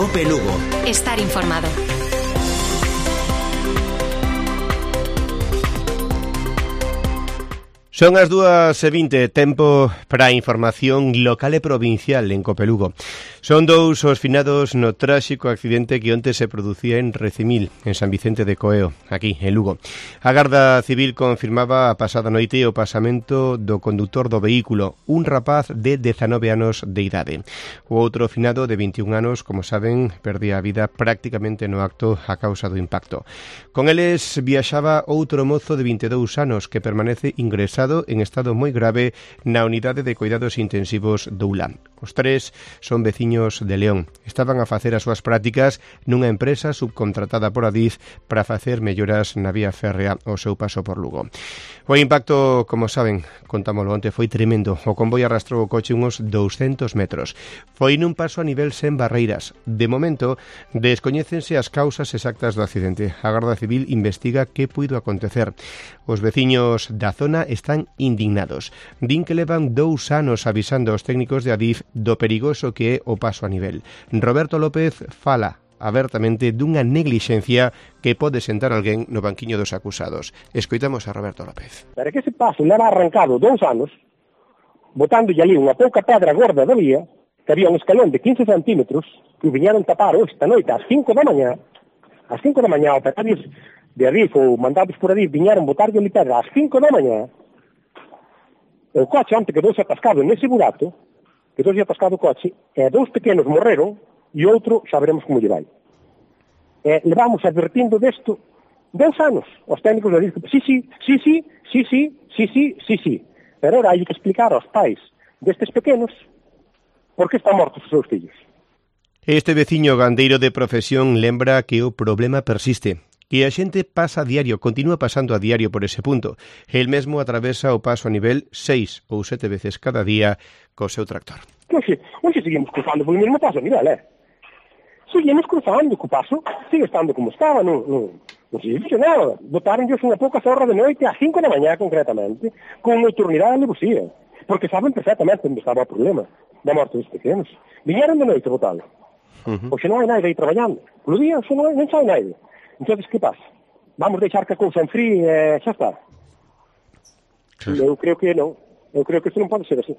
COPE Lugo. Estar informado. Son as 2:20, tempo para a información local e provincial en COPE Lugo. Son dous os finados no tráxico accidente que onte se producía en Recimil, en San Vicente de Coeo, aquí, en Lugo. A Garda Civil confirmaba a pasada noite o pasamento do condutor do vehículo, un rapaz de 19 anos de idade. O outro finado de 21 anos, como saben, perdía a vida prácticamente no acto a causa do impacto. Con eles viaxaba outro mozo de 22 anos que permanece ingresado en estado moi grave na unidade de cuidados intensivos do ULA. Os tres son veciños de León. Estaban a facer as súas prácticas nunha empresa subcontratada por Adif para facer melloras na vía férrea ao seu paso por Lugo. O impacto, como saben, contámoslo onte, foi tremendo. O convoi arrastrou o coche uns 200 metros. Foi nun paso a nivel sen barreiras. De momento, descoñécense as causas exactas do accidente. A Garda Civil investiga que puido acontecer. Os veciños da zona están indignados. Din que levan 2 anos avisando aos técnicos de Adif do perigoso que é o paso a nivel. Roberto López fala abertamente dunha neglixencia que pode sentar alguén no banquiño dos acusados. Escoitamos a Roberto López. Para que ese paso leva arrancado 2 anos, botándolle ali unha pouca pedra gorda da vía, que había un escalón de 15 centímetros, que viñeron tapar esta noite ás 5 da mañá, operarios de Adif ou mandados por Adif viñeron botarlle ali pedra ás 5 da mañá. O coche onte quedouse atascado nese burato, o coche, e 2 pequenos morreron, e outro xa veremos como lle vai. Levamos advertindo desto 2 anos. Os técnicos le dicen, sí. Pero ahora hai que explicar aos pais destes pequenos por que están mortos os seus fillos. Este veciño gandeiro de profesión lembra que o problema persiste, que a xente pasa a diario, continúa pasando a diario por ese punto. El mesmo atravesa o paso a nivel 6 ou 7 veces cada día co seu tractor. Hoxe seguimos cruzando polo mesmo paso a nivel, Seguimos cruzando co paso, sigue estando como estaba, non se dice nada. Botaronlles unha pouca zorra de noite a 5 da mañá concretamente, con nocturnidade e alevosía, porque saben perfectamente onde estaba o problema da morte dos pequenos. Viñeron de noite a botalo. Hoxe non hai nada aí traballando. Polo día, hoxe non sai nada. Entón, que pasa? Vamos deixar que a cousa enfríe e xa está? Eu creo que non. Eu creo que isto non pode ser así.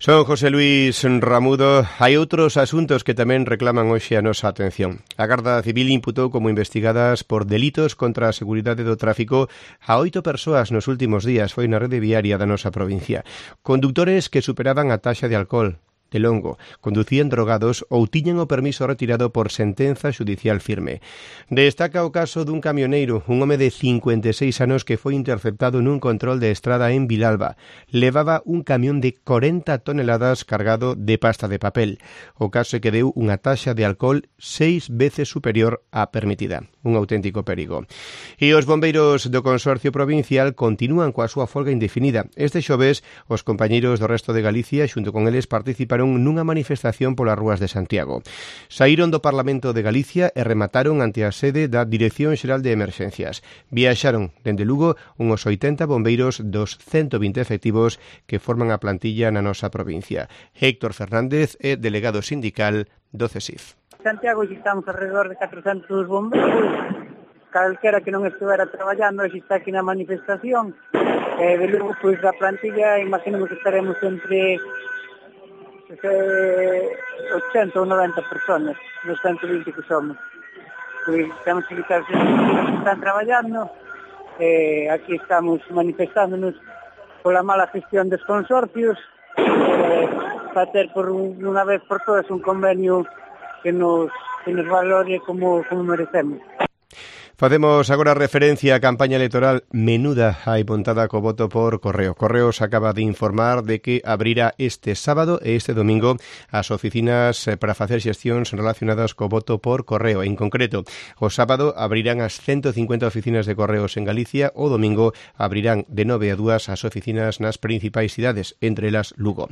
Son José Luis Ramudo. Hai outros asuntos que tamén reclaman hoxe a nosa atención. A Garda Civil imputou como investigadas por delitos contra a seguridade do tráfico a 8 persoas nos últimos días. Foi na rede viaria da nosa provincia. Conductores que superaban a taxa de alcohol, de longo, conducían drogados ou tiñan o permiso retirado por sentenza xudicial firme. Destaca o caso dun camioneiro, un home de 56 anos que foi interceptado nun control de estrada en Vilalba. Levaba un camión de 40 toneladas cargado de pasta de papel. O caso é que deu unha taxa de alcohol 6 veces superior á permitida. Un auténtico perigo. E os bombeiros do Consorcio Provincial continúan coa súa folga indefinida. Este xoves, os compañeiros do resto de Galicia, xunto con eles, participaron nunha manifestación polas rúas de Santiago. Saíron do Parlamento de Galicia e remataron ante a sede da Dirección Xeral de Emerxencias. Viaxaron dende Lugo uns 80 bombeiros dos 120 efectivos que forman a plantilla na nosa provincia. Héctor Fernández é delegado sindical do CESIF. Santiago estamos alrededor de 400 bombeiros. Calquera que non estivera traballando está aquí na manifestación. De luego, pois, a plantilla, imaginemos que estaremos entre 80 ou 90 personas, nos 120 que somos. Pois temos que quitar os que están traballando. Aquí estamos manifestándonos pola mala gestión dos consorcios, para ter por unha vez por todas un convenio que nos valore como merecemos. Facemos agora referencia á campaña electoral menuda hai montada co voto por correo. Correos acaba de informar de que abrirá este sábado e este domingo as oficinas para facer xestións relacionadas co voto por correo. En concreto, o sábado abrirán as 150 oficinas de correos en Galicia, o domingo abrirán de 9 a 2 as oficinas nas principais cidades, entre elas Lugo.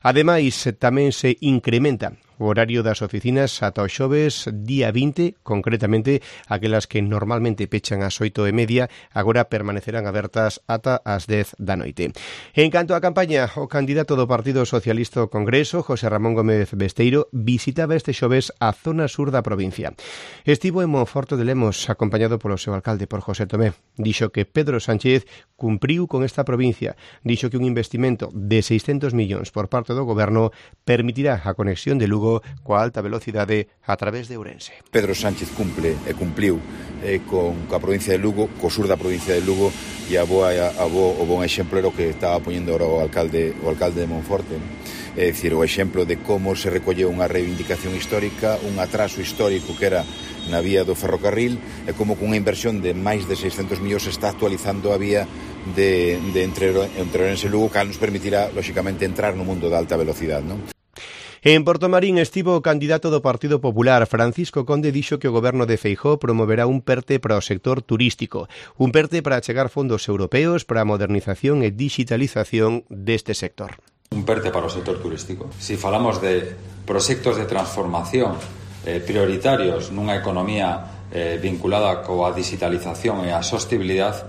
Ademais, tamén se incrementa o horario das oficinas ata o xoves día 20, concretamente aquelas que normalmente pechan ás 8:30, agora permanecerán abertas ata as 10 da noite. En canto á campaña, o candidato do Partido Socialista ao Congreso, José Ramón Gómez Besteiro, visitaba este xoves a zona sur da provincia. Estivo en Monforte de Lemos, acompañado polo seu alcalde, por José Tomé. Dixo que Pedro Sánchez cumpriu con esta provincia. Dixo que un investimento de 600 millóns por parte do goberno permitirá a conexión de Lugo coa alta velocidade a través de Ourense. Pedro Sánchez cumple e cumpliu coa provincia de Lugo, co sur da provincia de Lugo, e o bon exemplo era o que estaba poñendo ahora o alcalde de Monforte. É dicir, o exemplo de como se recolleu unha reivindicación histórica, un atraso histórico que era na vía do ferrocarril, e como cunha inversión de máis de 600 millóns está actualizando a vía de entre Ourense e Lugo, que nos permitirá, lóxicamente, entrar no mundo da alta velocidade, non? En Portomarín estivo o candidato do Partido Popular, Francisco Conde, dixo que o goberno de Feijóo promoverá un PERTE para o sector turístico, un PERTE para achegar fondos europeos para a modernización e digitalización deste sector. Un PERTE para o sector turístico. Si falamos de proxectos de transformación prioritarios nunha economía vinculada coa digitalización e a sostibilidade,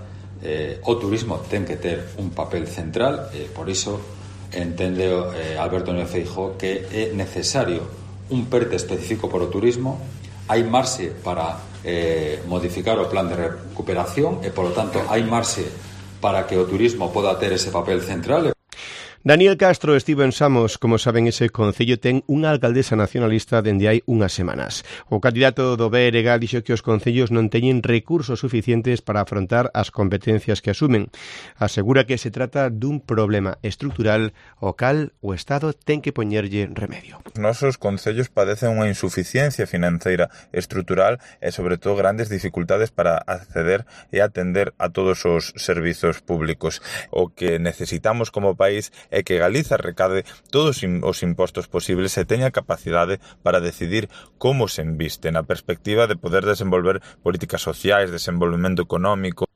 o turismo ten que ter un papel central, por iso entende Alberto Núñez Feijóo que é necesario un PERTE específico para o turismo. Hai marxe para modificar o plan de recuperación e, polo tanto, hai marxe para que o turismo poda ter ese papel central. Daniel Castro estivo en Samos. Como saben, ese concello ten unha alcaldesa nacionalista dende hai unhas semanas. O candidato do BRG dixo que os concellos non teñen recursos suficientes para afrontar as competencias que asumen. Asegura que se trata dun problema estrutural ao cal o Estado ten que poñerlle remedio. Os nosos concellos padecen unha insuficiencia financeira estrutural e, sobre todo, grandes dificultades para acceder e atender a todos os servizos públicos. O que necesitamos como país é que Galiza recade todos os impostos posibles e teña capacidade para decidir como se inviste na perspectiva de poder desenvolver políticas sociais, desenvolvemento económico.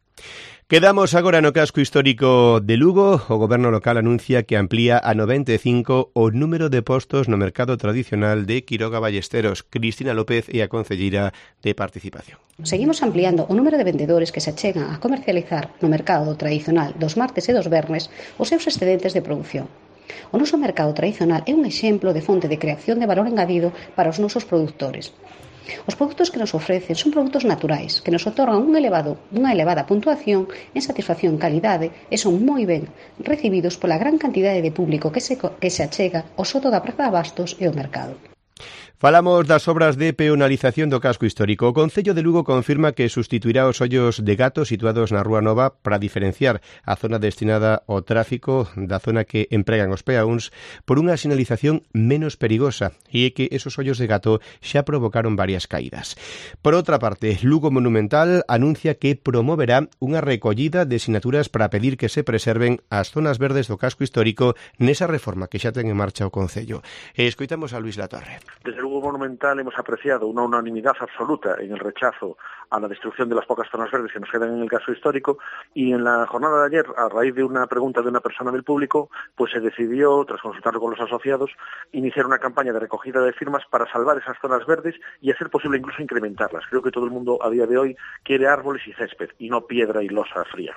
Quedamos agora no casco histórico de Lugo. O goberno local anuncia que amplía a 95 o número de postos no mercado tradicional de Quiroga Ballesteros. Cristina López é a concelleira de Participación. Seguimos ampliando o número de vendedores que se achegan a comercializar no mercado tradicional dos martes e dos vernes os seus excedentes de produción. O noso mercado tradicional é un exemplo de fonte de creación de valor engadido para os nosos produtores. Os produtos que nos ofrecen son produtos naturais, que nos otorgan unha elevada puntuación en satisfacción e calidade e son moi ben recibidos pola gran cantidade de público que se achega ao soto da Praza de Abastos e ao mercado. Falamos das obras de peonalización do casco histórico. O Concello de Lugo confirma que sustituirá os ollos de gato situados na Rúa Nova para diferenciar a zona destinada ao tráfico da zona que empregan os peóns por unha sinalización menos perigosa, e é que esos ollos de gato xa provocaron varias caídas. Por outra parte, Lugo Monumental anuncia que promoverá unha recollida de sinaturas para pedir que se preserven as zonas verdes do casco histórico nesa reforma que xa ten en marcha o Concello. Escoitamos a Luis Latorre. Desde Lugo Monumental hemos apreciado una unanimidad absoluta en el rechazo a la destrucción de las pocas zonas verdes que nos quedan en el casco histórico, y en la jornada de ayer, a raíz de una pregunta de una persona del público, pues se decidió, tras consultarlo con los asociados, iniciar una campaña de recogida de firmas para salvar esas zonas verdes y hacer posible incluso incrementarlas. Creo que todo el mundo a día de hoy quiere árboles y césped y no piedra y losa fría.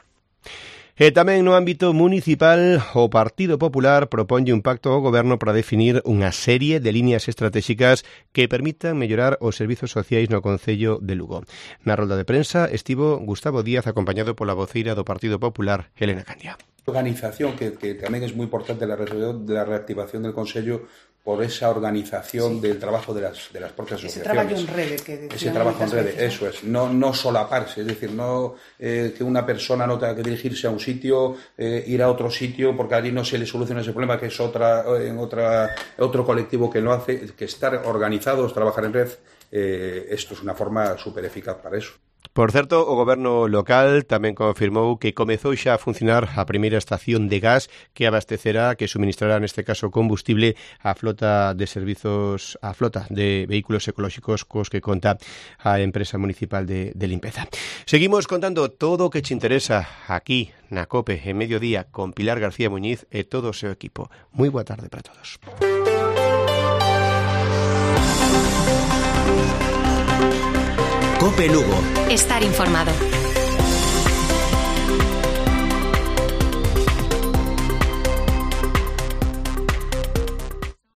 E tamén no ámbito municipal, o Partido Popular proponlle un pacto ao goberno para definir unha serie de líneas estratégicas que permitan mellorar os servizos sociais no Concello de Lugo. Na rolda de prensa estivo Gustavo Díaz, acompañado pola voceira do Partido Popular, Elena Candia. Organización que tamén é moi importante la reactivación del Concello por esa organización del trabajo de las propias asociaciones. Ese trabajo en rede. Ese trabajo en rede, eso es. No solaparse, es decir, no que una persona no tenga que dirigirse a un sitio, ir a otro sitio, porque allí no se le soluciona ese problema, que es otro colectivo que lo hace, que estar organizados, trabajar en red, esto es una forma súper eficaz para eso. Por certo, o goberno local tamén confirmou que comezou xa a funcionar a primeira estación de gas que abastecerá, que suministrará neste caso combustible a flota de servizos, a flota de vehículos ecolóxicos cos que conta a empresa municipal de limpeza. Seguimos contando todo o que te interesa aquí na COPE en Mediodía con Pilar García Muñiz e todo o seu equipo. Moi boa tarde para todos. Cope Lugo. Estar informado.